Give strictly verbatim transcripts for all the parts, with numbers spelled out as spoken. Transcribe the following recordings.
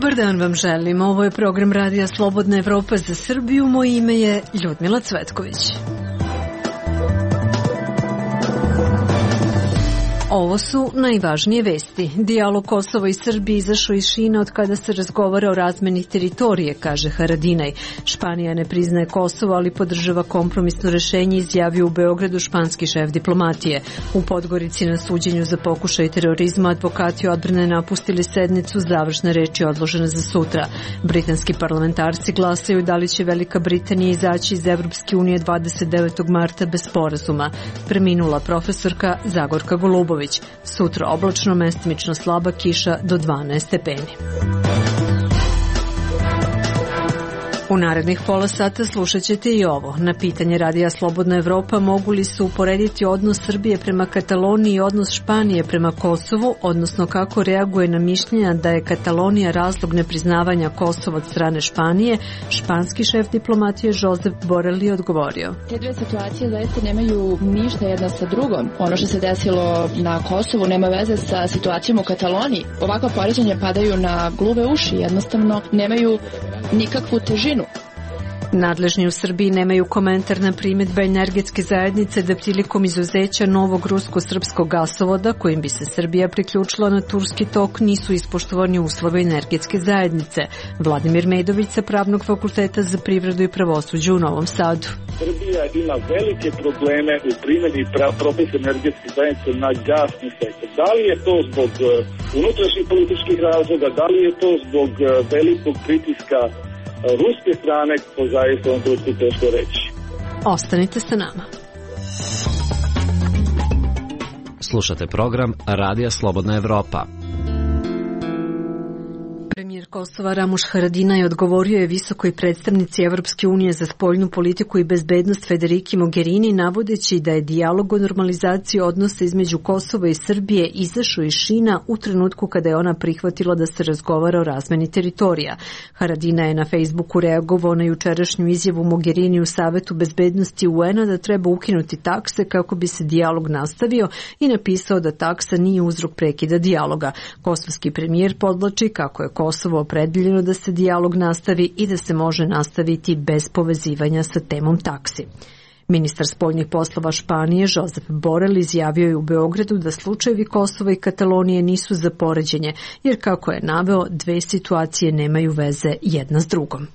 Dobar dan vam želim. Ovo je program Radija Slobodna Evropa za Srbiju. Moje ime je Ljudmila Cvetković. Ovo su najvažnije vesti. Dijalog Kosova i Srbije izašao iz šina od kada se razgovara o razmeni teritorije, kaže Haradinaj. Španija ne priznaje Kosovo, ali podržava kompromisno rešenje, izjavio u Beogradu španski šef diplomatije. U Podgorici na suđenju za pokušaj terorizma advokati odbrane napustili sednicu, završna reč je odložena za sutra. Britanski parlamentarci glasaju da li će Velika Britanija izaći iz Evropske unije dvadeset devetog marta bez sporazuma. Preminula profesorka Zagorka Golubović. Sutra oblačno, mestimično slaba kiša do dvanaest stepeni. U narednih pola sata slušat ćete i ovo. Na pitanje Radija Slobodna Evropa mogu li se uporediti odnos Srbije prema Kataloniji i odnos Španije prema Kosovu, odnosno kako reaguje na mišljenja da je Katalonija razlog nepriznavanja Kosova od strane Španije, španski šef diplomatije Josep Borrell je odgovorio. Te dve situacije zaista nemaju ništa jedna sa drugom. Ono što se desilo na Kosovu nema veze sa situacijom u Kataloniji. Ovakva poređenja padaju na gluve uši, jednostavno nemaju nikakvu težinu. Nadležni u Srbiji nemaju komentar na primjedbe energetske zajednice da prilikom izuzeća novog rusko-srpskog gasovoda kojim bi se Srbija priključila na Turski tok nisu ispoštovani uslovi energetske zajednice. Vladimir Medović sa Pravnog fakulteta za privredu i pravosuđe u Novom Sadu. Srbija ima velike probleme u primjeni propisa energetske zajednice na gasni sektor. Da li je to zbog unutrašnjih političkih razloga, da li je to zbog velikog pritiska ruske strane, ko zaista on to teško reći. Ostanite sa nama. Slušate program Radija Slobodna Evropa. Premijer Kosova Ramuš Haradinaj odgovorio je visokoj predstavnici Evropske unije za spoljnu politiku i bezbednost Federiki Mogherini, navodeći da je dijalog o normalizaciji odnosa između Kosova i Srbije izašao iz šina u trenutku kada je ona prihvatila da se razgovara o razmeni teritorija. Haradinaj je na Facebooku reagovao na jučerašnju izjavu Mogherini u Savetu bezbednosti U N-a da treba ukinuti takse kako bi se dijalog nastavio i napisao da taksa nije uzrok prekida dijaloga. Kosovski premijer podvlači kako je Kosovo opredeljeno da se dijalog nastavi i da se može nastaviti bez povezivanja sa temom taksi. Ministar spoljnih poslova Španije Josep Borrell izjavio je u Beogradu da slučajevi Kosova i Katalonije nisu za poređenje, jer kako je naveo, dve situacije nemaju veze jedna s drugom.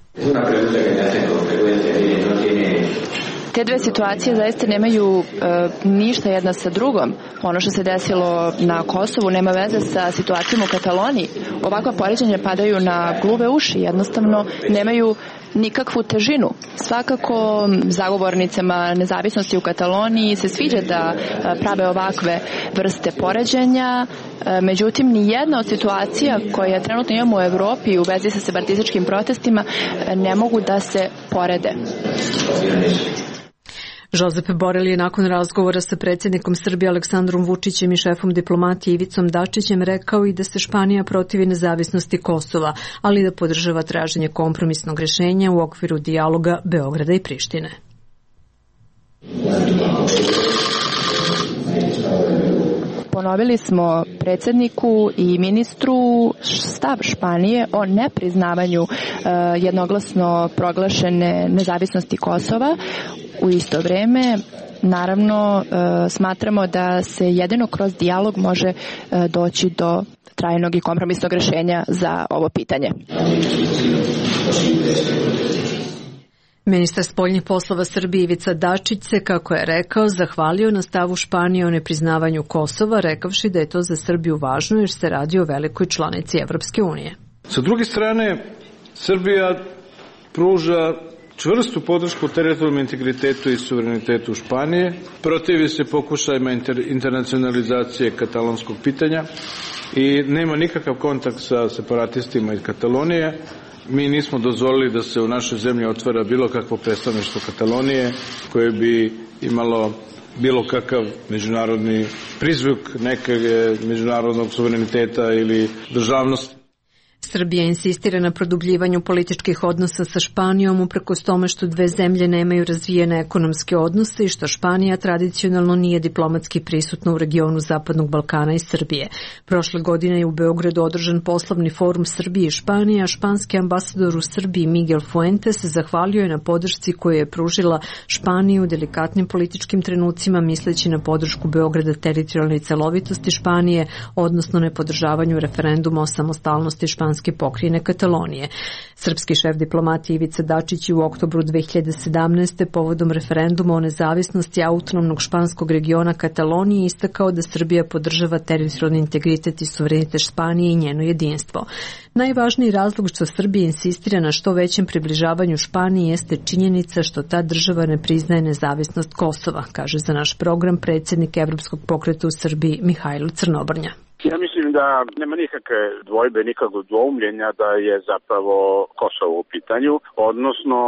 Te dve situacije zaista nemaju e, ništa jedna sa drugom. Ono što se desilo na Kosovu nema veze sa situacijom u Kataloniji. Ovakva poređenja padaju na gluve uši, jednostavno nemaju nikakvu težinu. Svakako zagovornicama nezavisnosti u Kataloniji se sviđa da prave ovakve vrste poređenja, međutim ni jedna od situacija koje trenutno imamo u Evropi u vezi sa separatističkim protestima ne mogu da se porede. Josep Borrell je nakon razgovora sa predsjednikom Srbije Aleksandrom Vučićem i šefom diplomatije Ivicom Dačićem rekao i da se Španija protivi nezavisnosti Kosova, ali da podržava traženje kompromisnog rješenja u okviru dijaloga Beograda i Prištine. Ponovili smo predsjedniku i ministru stav Španije o nepriznavanju uh, jednoglasno proglašene nezavisnosti Kosova. U isto vrijeme, naravno, uh, smatramo da se jedino kroz dijalog može uh, doći do trajnog i kompromisnog rješenja za ovo pitanje. Ministar spoljnih poslova Srbije Ivica Dačić se, kako je rekao, zahvalio na stavu Španije o nepriznavanju Kosova, rekavši da je to za Srbiju važno jer se radi o velikoj članici Evropske unije. Sa druge strane, Srbija pruža čvrstu podršku teritorijalnom integritetu i suverenitetu Španije, protivi se pokušajima inter, internacionalizacije katalonskog pitanja i nema nikakav kontakt sa separatistima iz Katalonije. Mi nismo dozvolili da se u našoj zemlji otvara bilo kakvo predstavništvo Katalonije koje bi imalo bilo kakav međunarodni prizvuk nekog međunarodnog suvereniteta ili državnosti. Srbija insistira na produbljivanju političkih odnosa sa Španijom uprkos tome što dve zemlje nemaju razvijene ekonomske odnose i što Španija tradicionalno nije diplomatski prisutna u regionu Zapadnog Balkana i Srbije. Prošle godine je u Beogradu održan poslovni forum Srbije i Španije, a španski ambasador u Srbiji Miguel Fuentes zahvalio je na podršci koju je pružila Španiji u delikatnim političkim trenucima, misleći na podršku Beograda teritorijalnoj celovitosti Španije, odnosno nepodržavanju referenduma o samostalnosti španske pokrajine Katalonije. Srpski šef diplomatije Ivica Dačić je u oktobru dve hiljade sedamnaeste. povodom referenduma o nezavisnosti autonomnog španskog regiona Katalonije istakao da Srbija podržava teritorijalni integritet i suverenitet Španije i njeno jedinstvo. Najvažniji razlog što Srbija insistira na što većem približavanju Španiji jeste činjenica što ta država ne priznaje nezavisnost Kosova, kaže za naš program predsjednik Evropskog pokreta u Srbiji Mihajlo Crnobrnja. Ja mislim da nema nikakve dvojbe, nikakvog dvoumljenja da je zapravo Kosovo u pitanju, odnosno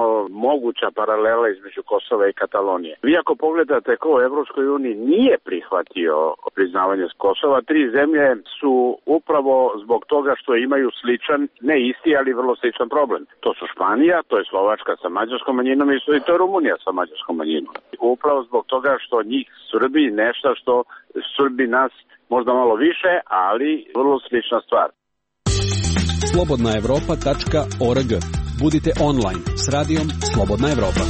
moguća paralela između Kosova i Katalonije. Vi ako pogledate ko u Evropskoj uniji nije prihvatio priznavanje Kosova, tri zemlje su upravo zbog toga što imaju sličan, ne isti, ali vrlo sličan problem. To su Španija, to je Slovačka sa mađarskom manjinom i to je Rumunija sa mađarskom manjinom. Upravo zbog toga što njih Srbi nešto što Srbi nas možda malo više, ali vrlo slična stvar. slobodna evropa tačka org. Budite online s radijom Slobodna Evropa.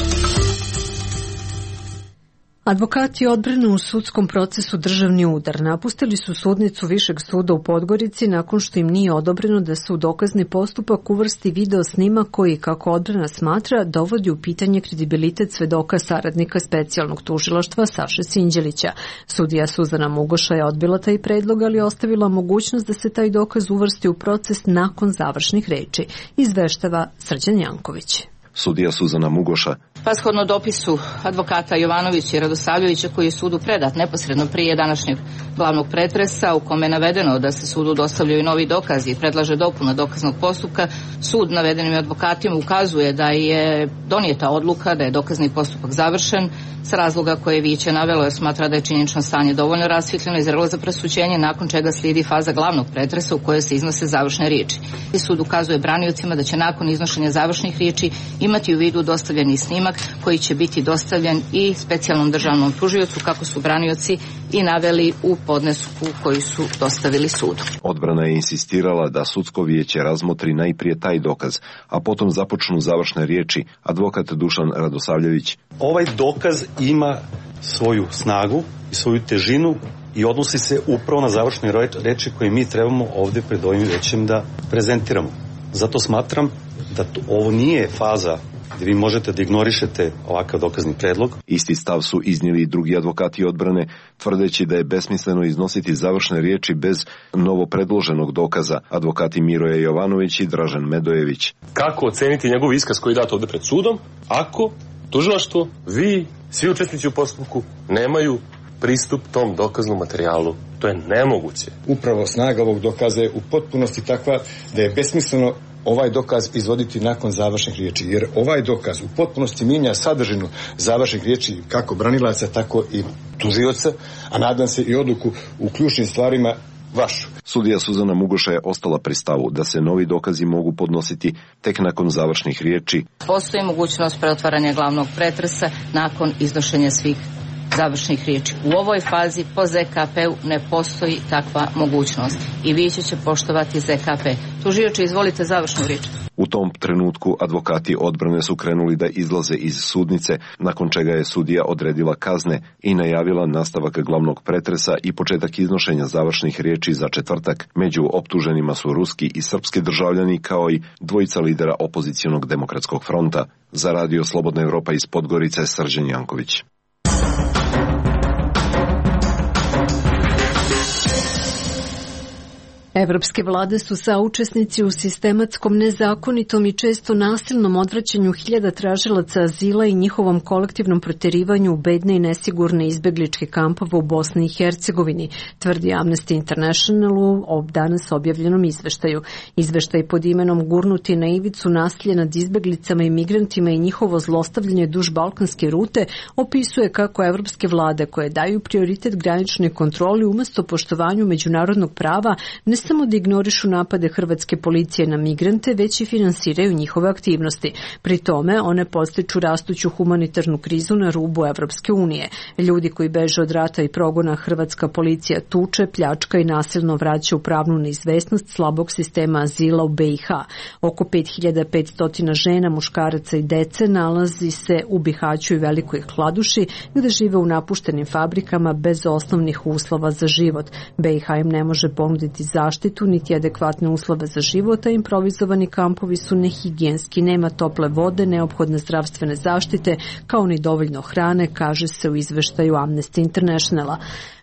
Advokati odbrane u sudskom procesu Državni udar napustili su sudnicu Višeg suda u Podgorici nakon što im nije odobreno da se u dokazni postupak uvrsti video snimak koji, kako odbrana smatra, dovodi u pitanje kredibilitet svedoka saradnika specijalnog tužilaštva Saše Sinđelića. Sudija Suzana Mugoša je odbila taj predlog, ali ostavila mogućnost da se taj dokaz uvrsti u proces nakon završnih reči, izveštava Srđan Janković. Sudija Suzana Mugoša. Pa shodno dopisu advokata Jovanovića i Radosavljevića koji je sudu predat neposredno prije današnjeg glavnog pretresa, u kome je navedeno da se sudu dostavljaju novi dokazi i predlaže dopuna dokaznog postupka, sud navedenim advokatima ukazuje da je donijeta odluka da je dokazni postupak završen s razloga koje je Viće navelo, jer smatra da je činjenično stanje dovoljno rasvjetljeno i zrelo za presuđenje, nakon čega slijedi faza glavnog pretresa u kojoj se iznose završne riječi. I sud ukazuje braniocima da će nakon iznošenja završnih riječi imati u vidu dostavljeni snimak koji će biti dostavljen i specijalnom državnom tužiocu, kako su branioci i naveli u podnesku koji su dostavili sudu. Odbrana je insistirala da sudsko vijeće razmotri najprije taj dokaz, a potom započnu završne riječi. Advokat Dušan Radosavljević. Ovaj dokaz ima svoju snagu i svoju težinu i odnosi se upravo na završne reči koje mi trebamo ovdje pred ovim vijećem da prezentiramo. Zato smatram da to, ovo nije faza gdje vi možete da ignorišete ovakav dokazni predlog. Isti stav su iznijeli i drugi advokati odbrane, tvrdeći da je besmisleno iznositi završne riječi bez novo predloženog dokaza. Advokati Miroje Jovanović i Dražen Medojević. Kako oceniti njegov iskaz koji je dat ovdje pred sudom, ako tužilaštvo, vi, svi učesnici u postupku, nemaju pristup tom dokaznom materijalu? To je nemoguće. Upravo snaga ovog dokaza je u potpunosti takva da je besmisleno ovaj dokaz izvoditi nakon završnih riječi, jer ovaj dokaz u potpunosti mijenja sadržinu završnih riječi kako branilaca, tako i tužioca, a nadam se i odluku u ključnim stvarima vašu. Sudija Suzana Mugoša je ostala pri stavu da se novi dokazi mogu podnositi tek nakon završnih riječi. Postoji mogućnost preotvaranja glavnog pretresa nakon iznošenja svih završnih riječi. U ovoj fazi po Z K P-u ne postoji takva mogućnost i vijeće će poštovati Z K P. Tužioče, izvolite završnu riječ. U tom trenutku advokati odbrane su krenuli da izlaze iz sudnice, nakon čega je sudija odredila kazne i najavila nastavak glavnog pretresa i početak iznošenja završnih riječi za četvrtak. Među optuženima su ruski i srpski državljani, kao i dvojica lidera opozicionog demokratskog fronta. Za Radio Slobodna Evropa iz Podgorice, Srđan Janković. Evropske vlade su saučesnici u sistematskom, nezakonitom i često nasilnom odvraćanju hiljada tražilaca azila i njihovom kolektivnom proterivanju u bedne i nesigurne izbegličke kampove u Bosni i Hercegovini, tvrdi Amnesty International u danas objavljenom izveštaju. Izveštaj pod imenom Gurnuti na ivicu nasilje nad izbeglicama i migrantima i njihovo zlostavljanje duž balkanske rute opisuje kako evropske vlade koje daju prioritet graničnoj kontroli umesto poštovanju međunarodnog prava ne samo da ignorišu napade hrvatske policije na migrante, već i finansiraju njihove aktivnosti. Pri tome, one podstiču rastuću humanitarnu krizu na rubu Evropske unije. Ljudi koji beže od rata i progona hrvatska policija tuče, pljačka i nasilno vraća u pravnu neizvesnost slabog sistema azila u be i ha. Oko pet hiljada petsto žena, muškaraca i dece nalazi se u Bihaću i Velikoj Kladuši, gde žive u napuštenim fabrikama bez osnovnih uslova za život. be i ha im ne može ponuditi zaštitu niti adekvatne uslove za život, a improvizovani kampovi su nehigijenski, nema tople vode, neophodne zdravstvene zaštite, kao ni dovoljno hrane, kaže se u izveštaju Amnesty Internationala.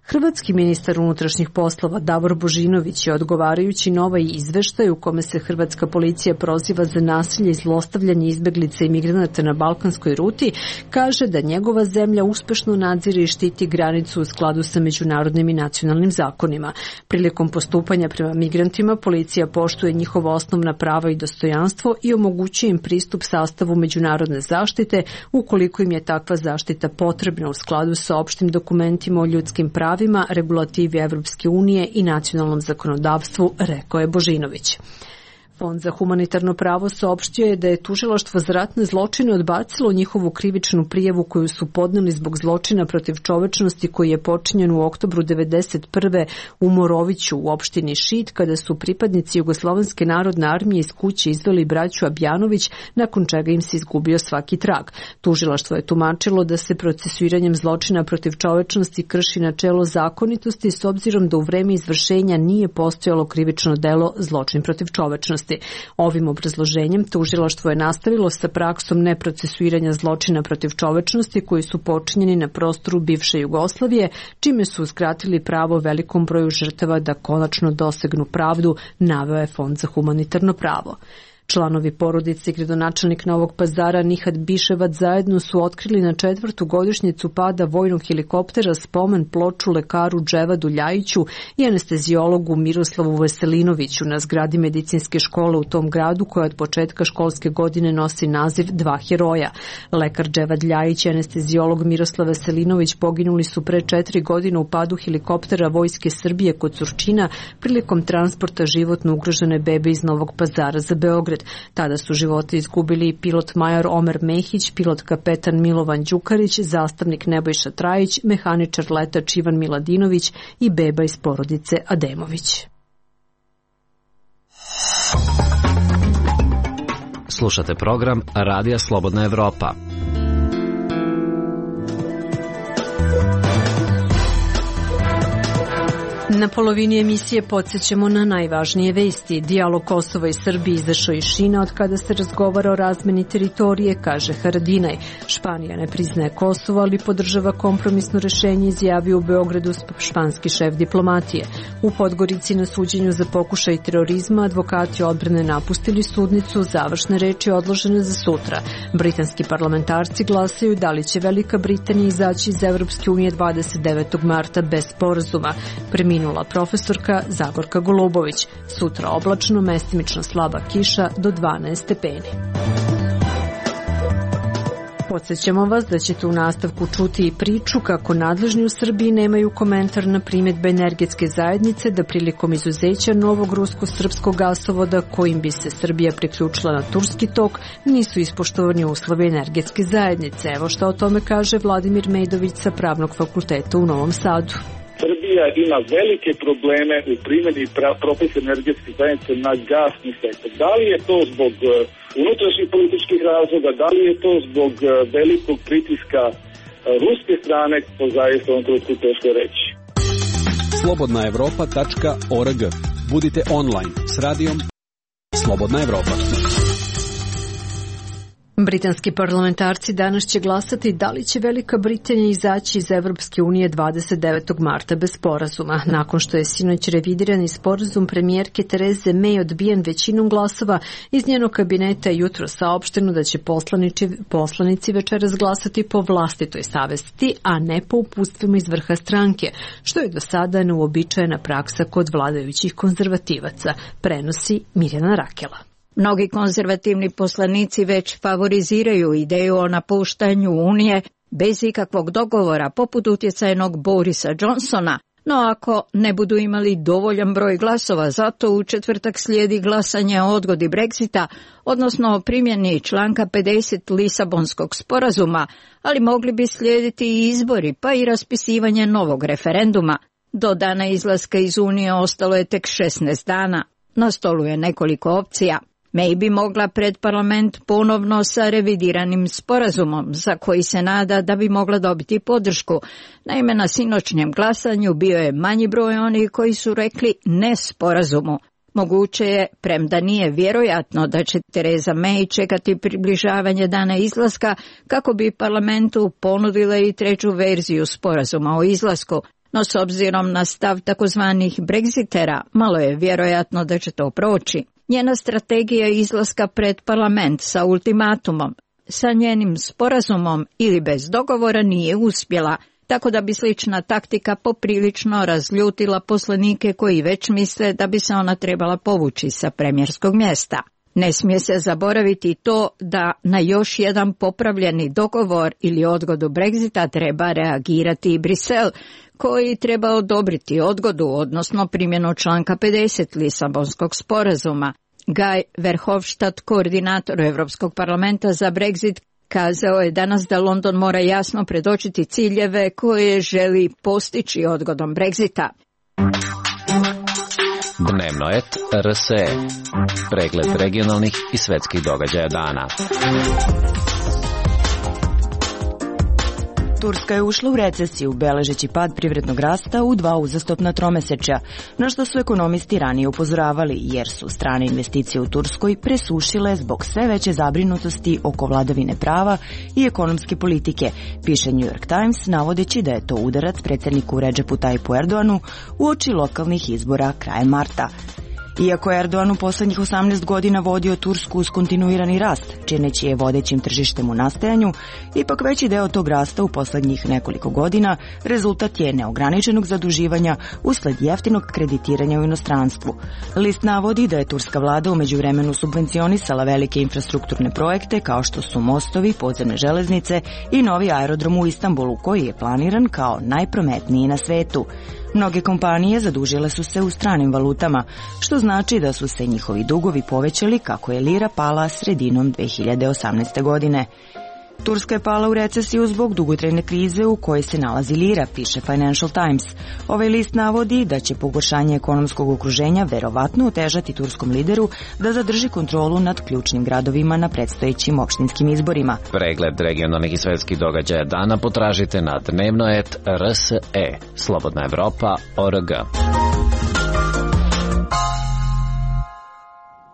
Hrvatski ministar unutrašnjih poslova Davor Božinović je, odgovarajući na ovaj izveštaj u kome se hrvatska policija proziva za nasilje i zlostavljanje izbeglica i migranata na balkanskoj ruti, kaže da njegova zemlja uspešno nadzire i štiti granicu u skladu sa međunarodnim i nacionalnim zakonima. Prilikom postupanja prema migrantima policija poštuje njihova osnovna prava i dostojanstvo i omogućuje im pristup sastavu međunarodne zaštite ukoliko im je takva zaštita potrebna u skladu sa opštim dokumentima o ljudskim pravima, regulativi Evropske unije i nacionalnom zakonodavstvu, rekao je Božinović. Fond za humanitarno pravo saopštio je da je tužilaštvo za ratne zločine odbacilo njihovu krivičnu prijavu koju su podneli zbog zločina protiv čovečnosti koji je počinjen u oktobru devedeset prve u Moroviću u opštini Šid, kada su pripadnici Jugoslovenske narodne armije iz kuće izveli braću Abjanović, nakon čega im se izgubio svaki trag. Tužilaštvo je tumačilo da se procesuiranjem zločina protiv čovečnosti krši načelo zakonitosti s obzirom da u vreme izvršenja nije postojalo krivično delo zločin protiv čovečnosti. Ovim obrazloženjem tužilaštvo je nastavilo sa praksom neprocesuiranja zločina protiv čovečnosti koji su počinjeni na prostoru bivše Jugoslavije, čime su uskratili pravo velikom broju žrtava da konačno dosegnu pravdu, naveo je Fond za humanitarno pravo. Članovi porodice i gradonačelnik Novog Pazara Nihat Biševac zajedno su otkrili na četvrtu godišnjicu pada vojnog helikoptera spomen ploču lekaru Dževadu Ljajiću i anestezijologu Miroslavu Veselinoviću na zgradi medicinske škole u tom gradu koja od početka školske godine nosi naziv Dva heroja. Lekar Dževad Ljajić i anestezijolog Miroslav Veselinović poginuli su pre četiri godine u padu helikoptera Vojske Srbije kod Surčina prilikom transporta životno ugrožene bebe iz Novog Pazara za Beograd. Tada su živote izgubili pilot major Omer Mehić, pilot kapetan Milovan Đukarić, zastavnik Nebojša Trajić, mehaničar letač Ivan Miladinović i beba iz porodice Ademović. Slušate program Radija Slobodna Evropa. Na polovini emisije podsjećamo na najvažnije vesti. Dijalog Kosova i Srbije izašao iz šina od kada se razgovara o razmeni teritorije, kaže Haradinaj. Španija ne priznaje Kosovo, ali podržava kompromisno rešenje, izjavio u Beogradu španski šef diplomatije. U Podgorici na suđenju za pokušaj terorizma advokati odbrane napustili sudnicu, završne reči odložene za sutra. Britanski parlamentarci glasaju da li će Velika Britanija izaći iz Evropske unije dvadeset devetog marta bez sporazuma. Preminula profesorka Zagorka Golubović. Sutra oblačno, mestimično slaba kiša do dvanaest stepeni. Podsjećamo vas da ćete u nastavku čuti i priču kako nadležni u Srbiji nemaju komentar na primjedbe energetske zajednice da prilikom izuzeća novog rusko-srpskog gasovoda kojim bi se Srbija priključila na turski tok nisu ispoštovani uslovi energetske zajednice. Evo šta o tome kaže Vladimir Mejdović sa Pravnog fakulteta u Novom Sadu. Srbija ima velike probleme u primjeni propisa energetske zajednice na gasni sektor. Da li je to zbog unutrašnjih političkih razloga, da li je to zbog velikog pritiska ruske strane, to zaista u ovom trenutku teško reći. slobodna evropa tačka org. Budite online s radijom Slobodna Evropa. Britanski parlamentarci danas će glasati da li će Velika Britanija izaći iz Evropske unije dvadeset devetog marta bez sporazuma. Nakon što je sinoć revidirani sporazum premijerke Tereze May odbijen većinom glasova, iz njenog kabineta je jutro saopšteno da će poslanici, poslanici večeras glasati po vlastitoj savesti, a ne po uputstvima iz vrha stranke, što je do sada neuobičajena praksa kod vladajućih konzervativaca, prenosi Mirjana Rakela. Mnogi konzervativni poslanici već favoriziraju ideju o napuštanju Unije bez ikakvog dogovora, poput utjecajnog Borisa Johnsona, No ako ne budu imali dovoljan broj glasova, zato u četvrtak slijedi glasanje o odgodi Brexita, odnosno o primjeni članka pedeset Lisabonskog sporazuma, ali mogli bi slijediti i izbori, pa i raspisivanje novog referenduma. Do dana izlaska iz Unije ostalo je tek šesnaest dana. Na stolu je nekoliko opcija. May bi mogla pred parlament ponovno sa revidiranim sporazumom, za koji se nada da bi mogla dobiti podršku. Naime, na sinoćnjem glasanju bio je manji broj onih koji su rekli ne sporazumu. Moguće je, premda nije vjerojatno da će Theresa May čekati približavanje dana izlaska kako bi parlamentu ponudila i treću verziju sporazuma o izlasku. No s obzirom na stav takozvanih Brexitera, malo je vjerojatno da će to proći. Njena strategija izlaska pred parlament sa ultimatumom, sa njenim sporazumom ili bez dogovora nije uspjela, tako da bi slična taktika poprilično razljutila poslanike koji već misle da bi se ona trebala povući sa premijerskog mjesta. Ne smije se zaboraviti to da na još jedan popravljeni dogovor ili odgodu Brexita treba reagirati i Brisel, koji treba odobriti odgodu, odnosno primjenu članka pedeset Lisabonskog sporazuma. Guy Verhofstadt, koordinator Europskog parlamenta za Brexit, kazao je danas da London mora jasno predočiti ciljeve koje želi postići odgodom Brexita. Dnevno et R S E. Pregled regionalnih i svetskih događaja dana. Turska je ušla u recesiju, beležeći pad privrednog rasta u dva uzastopna tromesečja, na što su ekonomisti ranije upozoravali, jer su strane investicije u Turskoj presušile zbog sve veće zabrinutosti oko vladavine prava i ekonomske politike, piše New York Times, navodeći da je to udarac predsjedniku Redžepu Tayyipu Erdoğanu uoči lokalnih izbora krajem marta. Iako je Erdoğan u posljednjih osamnaest godina vodio Tursku uz kontinuirani rast, čineći je vodećim tržištem u nastajanju, ipak veći deo tog rasta u posljednjih nekoliko godina rezultat je neograničenog zaduživanja usled jeftinog kreditiranja u inostranstvu. List navodi da je turska vlada u međuvremenu subvencionisala velike infrastrukturne projekte kao što su mostovi, podzemne železnice i novi aerodrom u Istanbulu, koji je planiran kao najprometniji na svetu. Mnoge kompanije zadužile su se u stranim valutama, što znači da su se njihovi dugovi povećali kako je lira pala sredinom dve hiljade osamnaeste. godine. Turska je pala u recesiju zbog dugotrajne krize u kojoj se nalazi lira, piše Financial Times. Ovaj list navodi da će pogoršanje ekonomskog okruženja verovatno otežati turskom lideru da zadrži kontrolu nad ključnim gradovima na predstojećim opštinskim izborima. Pregled regionalnih i svetskih događaja dana potražite na dnevno et R S E. Slobodna Evropa, O R G.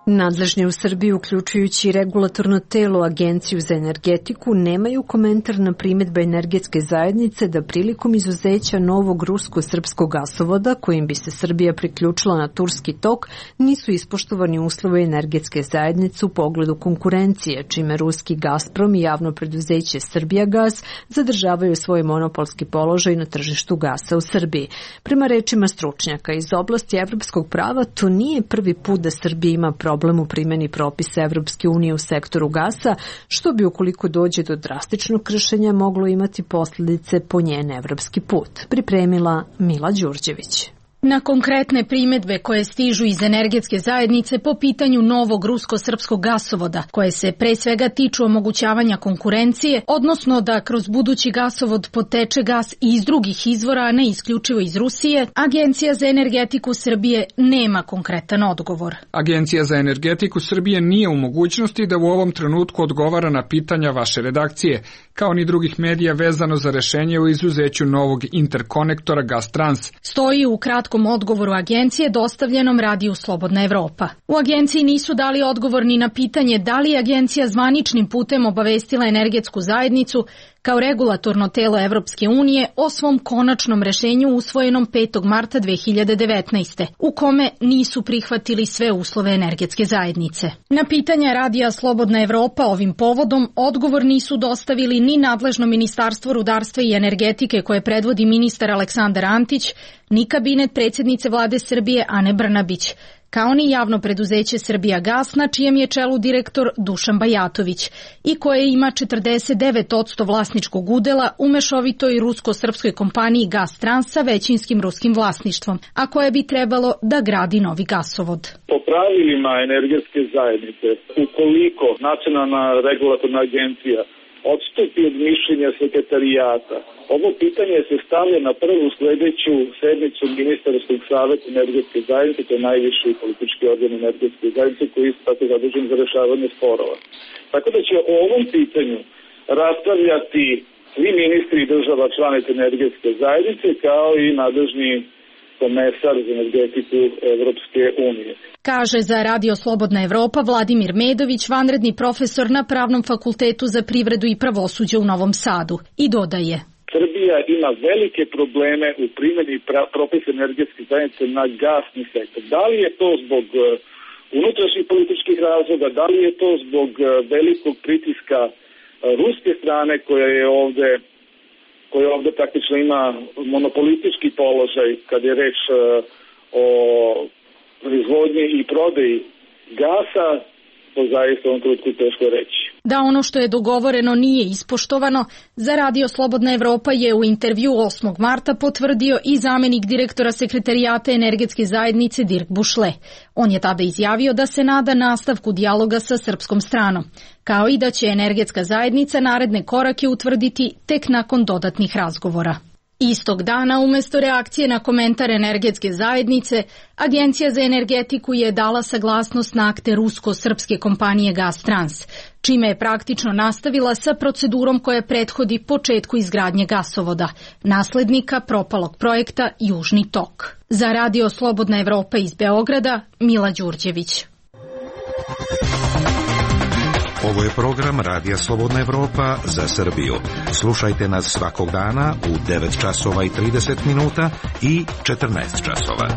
Nadležni u Srbiji, uključujući regulatorno telo Agenciju za energetiku, nemaju komentar na primjedbe energetske zajednice da prilikom izuzeća novog rusko-srpskog gasovoda, kojim bi se Srbija priključila na turski tok, nisu ispoštovani uslovi energetske zajednice u pogledu konkurencije, čime ruski Gazprom i javno preduzeće Srbijagas zadržavaju svoj monopolski položaj na tržištu gasa u Srbiji. Prema rečima stručnjaka iz oblasti evropskog prava, to nije prvi put da Srbija ima problem problem u primjeni propisa Evropske unije u sektoru gasa, što bi ukoliko dođe do drastičnog kršenja moglo imati posljedice po njen evropski put. Pripremila Mila Đurđević. Na konkretne primjedbe koje stižu iz energetske zajednice po pitanju novog rusko-srpskog gasovoda, koje se pre svega tiču omogućavanja konkurencije, odnosno da kroz budući gasovod poteče gas i iz drugih izvora, a ne isključivo iz Rusije, Agencija za energetiku Srbije nema konkretan odgovor. Agencija za energetiku Srbije nije u mogućnosti da u ovom trenutku odgovara na pitanja vaše redakcije, kao ni drugih medija vezano za rešenje o izuzeću novog interkonektora Gastrans. Stoji u kratkom odgovoru agencije dostavljenom radiju Slobodna Evropa. U agenciji nisu dali odgovor ni na pitanje da li je agencija zvaničnim putem obavestila energetsku zajednicu kao regulatorno telo Evropske unije o svom konačnom rešenju usvojenom petog marta dve hiljade devetnaeste. u kome nisu prihvatili sve uslove energetske zajednice. Na pitanja radija Slobodna Evropa ovim povodom odgovor nisu dostavili ni nadležno Ministarstvo rudarstva i energetike koje predvodi ministar Aleksandar Antić, ni kabinet predsjednice vlade Srbije Ane Brnabić, kao ni javno preduzeće Srbijagas, na čijem je čelu direktor Dušan Bajatović i koje ima četrdeset devet posto vlasničkog udela u mešovitoj rusko-srpskoj kompaniji Gastrans sa većinskim ruskim vlasništvom, a koje bi trebalo da gradi novi gasovod. Po pravilima energetske zajednice, ukoliko Nacionalna regulatorna agencija odstupi od mišljenja sekretarijata, ovo pitanje se stavlja na prvu sledeću sednicu Ministarskog saveta energetske zajednice, to je najviši politički organ energetske zajednice koji je tako zadužen za rešavanje sporova. Tako da će o ovom pitanju raspravljati svi ministri država članica energetske zajednice kao i nadležni komesar za energetiku Evropske unije. Kaže za Radio Slobodna Evropa Vladimir Medović, vanredni profesor na Pravnom fakultetu za privredu i pravosuđe u Novom Sadu, i dodaje: Srbija ima velike probleme u primjeni propisa energetske zajednice na gasni sektor. Da li je to zbog unutrašnjih političkih razloga, da li je to zbog velikog pritiska ruske strane koja je ovde koja ovde praktično ima monopolistički položaj kad je reč o proizvodnji i prodaji gasa, to zaista u ovom trenutku teško reći. Da ono što je dogovoreno nije ispoštovano, za Radio Slobodna Evropa je u intervju osmog marta potvrdio i zamenik direktora sekretarijata energetske zajednice Dirk Bušle. On je tada izjavio da se nada nastavku dijaloga sa srpskom stranom, kao i da će energetska zajednica naredne korake utvrditi tek nakon dodatnih razgovora. Istog dana, umesto reakcije na komentar energetske zajednice, Agencija za energetiku je dala saglasnost na akte rusko-srpske kompanije Gastrans, čime je praktično nastavila sa procedurom koja prethodi početku izgradnje gasovoda, naslednika propalog projekta Južni tok. Za Radio Slobodna Evropa iz Beograda, Mila Đurđević. Ovo je program Radija Slobodna Evropa za Srbiju. Slušajte nas svakog dana u devet časova i trideset minuta i četrnaest časova.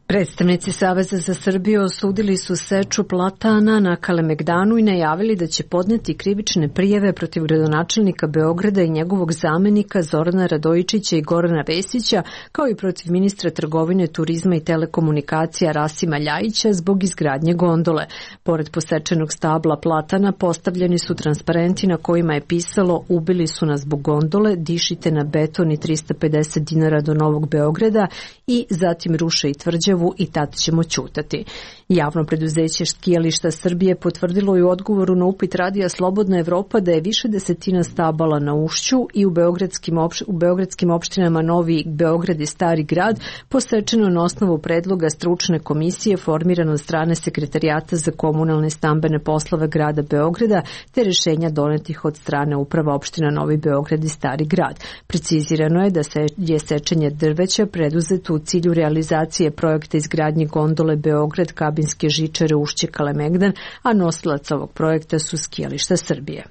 Predstavnici Saveza za Srbiju osudili su seču platana na Kalemegdanu i najavili da će podneti krivične prijave protiv gradonačelnika Beograda i njegovog zamenika Zorana Radojičića i Gorana Vesića, kao i protiv ministra trgovine, turizma i telekomunikacija Rasima Ljajića zbog izgradnje gondole. Pored posečenog stabla platana postavljeni su transparenti na kojima je pisalo "Ubili su nas zbog gondole, dišite na beton i trista pedeset dinara do Novog Beograda" i "Zatim ruše i tvrđavu i tad ćemo ćutati". Javno preduzeće Skijališta Srbije potvrdilo je u odgovoru na upit Radija Slobodna Evropa da je više desetina stabala na ušću i u beogradskim, opš u beogradskim opštinama Novi Beograd i Stari Grad posečeno na osnovu predloga stručne komisije formirane od strane Sekretarijata za komunalne stambene poslove grada Beograda te rešenja donetih od strane uprava opština Novi Beograd i Stari Grad. Precizirano je da se je sečenje drveća preduzeto u cilju realizacije projekta izgradnje gondole Beograd kabinske žičare Ušće Kalemegdan, a nosilac ovog projekta su Skijališta Srbije.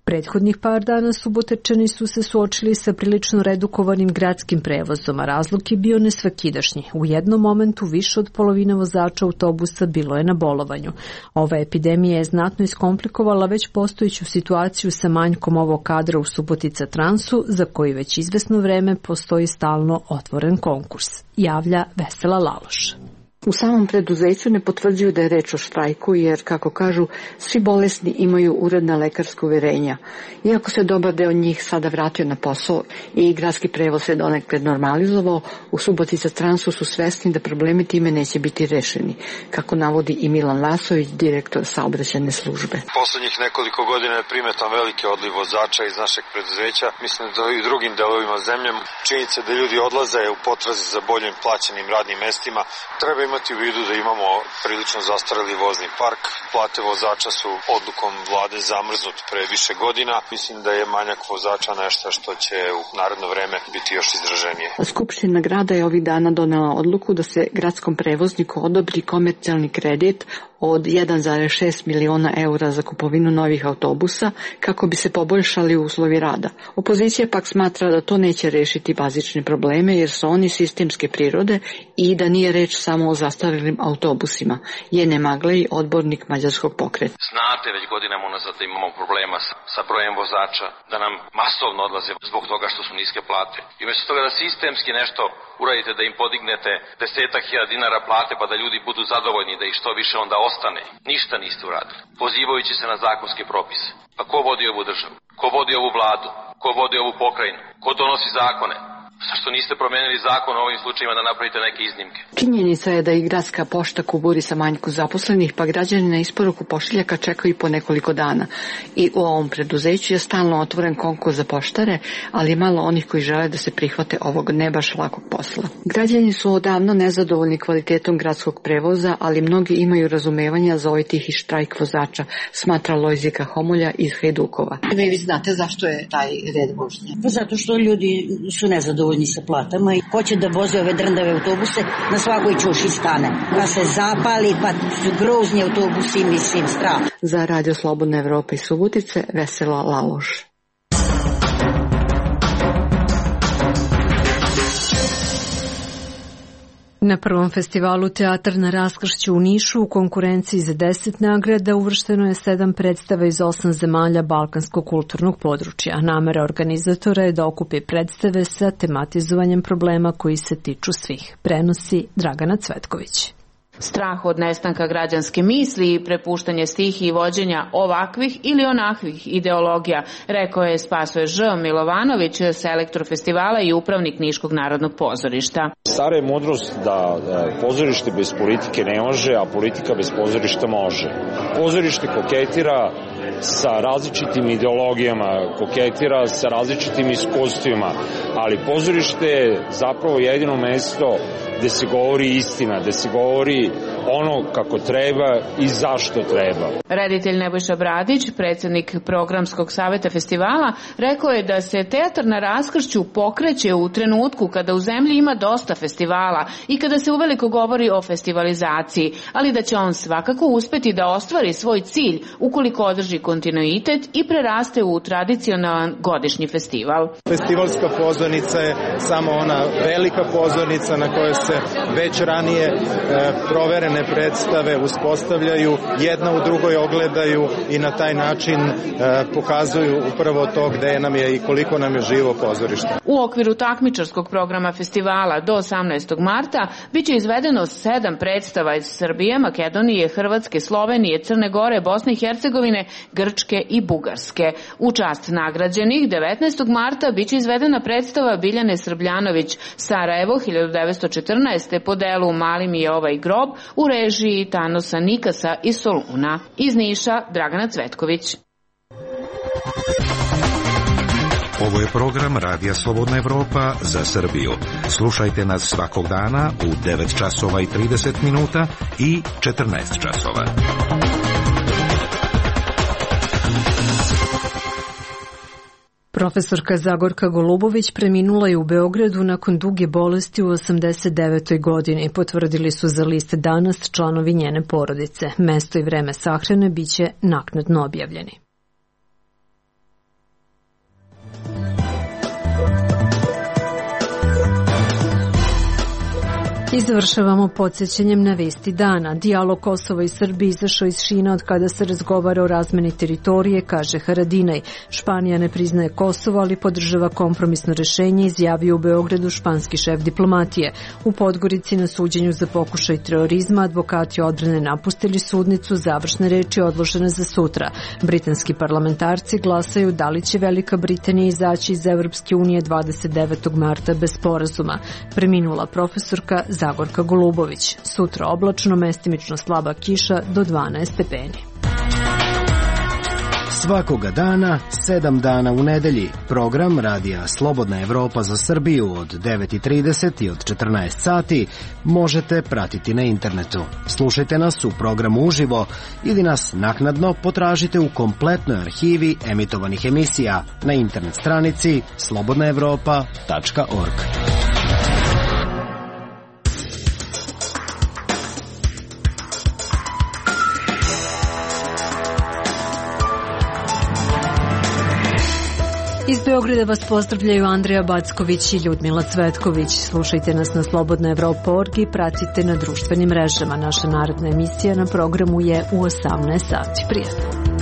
Prethodnih par dana Subotačani su se suočili sa prilično redukovanim gradskim prevozom, a razlog je bio nesvakidašnji. U jednom momentu više od polovine vozača autobusa bilo je na bolovanju. Ova epidemija je znatno iskomplikovala već postojeću situaciju sa manjkom ovog kadra u Subotica Transu, za koji već izvesno vreme postoji stalno otvoren konkurs. Javlja Vesela Laloš. U samom preduzeću ne potvrđuju da je reč o štrajku jer, kako kažu, svi bolesni imaju uredna lekarska uverenja. Iako se dobar deo njih sada vratio na posao i gradski prevoz se donekle normalizovao, u Subotica Transu su svesni da problemi time neće biti rešeni, kako navodi i Milan Vasović, direktor saobraćajne službe. Poslednjih nekoliko godina je primetan veliki odliv vozača iz našeg preduzeća. Mislim da i u drugim delovima zemlje činjenica da ljudi odlaze u potrazi za boljim plaćenim radnim mestima. Treba imati u vidu da imamo prilično zastareli vozni park. Plate vozača su odlukom vlade zamrznut pre više godina. Mislim da je manjak vozača nešto što će u naredno vreme biti još izraženije. Skupština grada je ovih dana donela odluku da se gradskom prevozniku odobri komercijalni kredit od jedan zarez šest miliona eura za kupovinu novih autobusa kako bi se poboljšali uslovi rada. Opozicija pak smatra da to neće rešiti bazične probleme jer su oni sistemske prirode i da nije reč samo o zastarelim autobusima, je Nemaglej, odbornik mađarskog pokreta. Znate, već godinama unazad da imamo problema sa, sa brojem vozača, da nam masovno odlaze zbog toga što su niske plate. I umjesto toga da sistemski nešto uradite, da im podignete desetak hiljada dinara plate pa da ljudi budu zadovoljni, da ih što više onda ostane, ništa niste uradili, pozivajući se na zakonske propise. Pa ko vodi ovu državu? Ko vodi ovu vladu? Ko vodi ovu pokrajinu? Ko donosi zakone? Zašto niste promenili zakon u ovim slučajima da napravite neke iznimke? Činjenica je da i gradska pošta kuburi sa manjku zaposlenih, pa građani na isporuku pošiljaka čekaju po nekoliko dana. I u ovom preduzeću je stalno otvoren konkurs za poštare, ali je malo onih koji žele da se prihvate ovog ne baš lakog posla. Građani su odavno nezadovoljni kvalitetom gradskog prevoza, ali mnogi imaju razumevanja za ovaj tihi štrajk vozača, smatra Lojzika Homolja iz Hajdukova. Vi znate zašto je taj red vožnje? Zato što ljudi su nezadovoljni sa platama i hoće da voze ove drndave autobuse, na svakoj ćuši stane. Pa se zapali, pa su grozni autobusi, mislim, strah. Za Radio Slobodna Evropa i Subotice, Vesela Laloš. Na prvom festivalu Teatar na raskršću u Nišu u konkurenciji za deset nagrada uvršteno je sedam predstava iz osam zemalja balkanskog kulturnog područja. Namera organizatora je da okupi predstave sa tematizovanjem problema koji se tiču svih. Prenosi Dragana Cvetković. Strah od nestanka građanske misli i prepuštanje stihiji vođenja ovakvih ili onakvih ideologija, rekao je Spasoje Ž. Milovanović, selektor festivala i upravnik Niškog narodnog pozorišta. Stara je mudrost da pozorište bez politike ne može, a politika bez pozorišta može. Pozorište koketira sa različitim ideologijama, koketira sa različitim iskustvima, ali pozorište je zapravo jedino mesto gde se govori istina, gde se govori ono kako treba i zašto treba. Reditelj Nebojša Bradić, predsjednik programskog saveta festivala, rekao je da se teatar na raskršću pokreće u trenutku kada u zemlji ima dosta festivala i kada se uveliko govori o festivalizaciji, ali da će on svakako uspeti da ostvari svoj cilj ukoliko održi kontinuitet i preraste u tradicionalan godišnji festival. Festivalska pozornica je samo ona velika pozornica na kojoj se već ranije e, proverene predstave uspostavljaju, jedna u drugoj ogledaju i na taj način e, pokazuju upravo to gde nam je i koliko nam je živo pozorište. U okviru takmičarskog programa festivala do osamnaestog marta biće izvedeno sedam predstava iz Srbije, Makedonije, Hrvatske, Slovenije, Crne Gore, Bosne i Hercegovine, Grčke i Bugarske. U čast nagrađenih devetnaestog marta biće izvedena predstava Biljane Srbljanović Sarajevo hiljadu devetsto četrnaeste po delu Mali mi je ovaj grob u režiji Tanosa Nikasa iz Soluna. Iz Niša, Dragana Cvetković. Ovo je program Radija Slobodna Evropa za Srbiju. Slušajte nas svakog dana u devet časova i trideset minuta i četrnaest časova. Profesorka Zagorka Golubović preminula je u Beogradu nakon duge bolesti u osamdeset devetoj godini, potvrdili su za list Danas članovi njene porodice. Mesto i vreme sahrane biće naknadno objavljeni. I završavamo podsjećanjem na vesti dana. Dijalog Kosova i Srbije izašao iz šina od kada se razgovara o razmeni teritorije, kaže Haradinaj. Španija ne priznaje Kosovo, ali podržava kompromisno rešenje, izjavio u Beogradu španski šef diplomatije. U Podgorici na suđenju za pokušaj terorizma advokati odbrane napustili sudnicu, završne reči odložene za sutra. Britanski parlamentarci glasaju da li će Velika Britanija izaći iz Evropske unije dvadeset devetog marta bez sporazuma. Preminula profesorka Zagorka Golubović. Sutra oblačno, mestimično slaba kiša do dvanaest stepeni. Svakoga dana, sedam dana u nedelji. Program Radija Slobodna Evropa za Srbiju od devet i trideset i od četrnaest sati možete pratiti na internetu. Slušajte nas u programu uživo ili nas naknadno potražite u kompletnoj arhivi emitovanih emisija na internet stranici slobodna evropa tačka org. Iz Beograda vas pozdravljaju Andreja Backović i Ljudmila Cvetković. Slušajte nas na slobodna evropa tačka org i pratite na društvenim mrežama. Naša naredna emisija na programu je u osamnaest sati. Prijatno.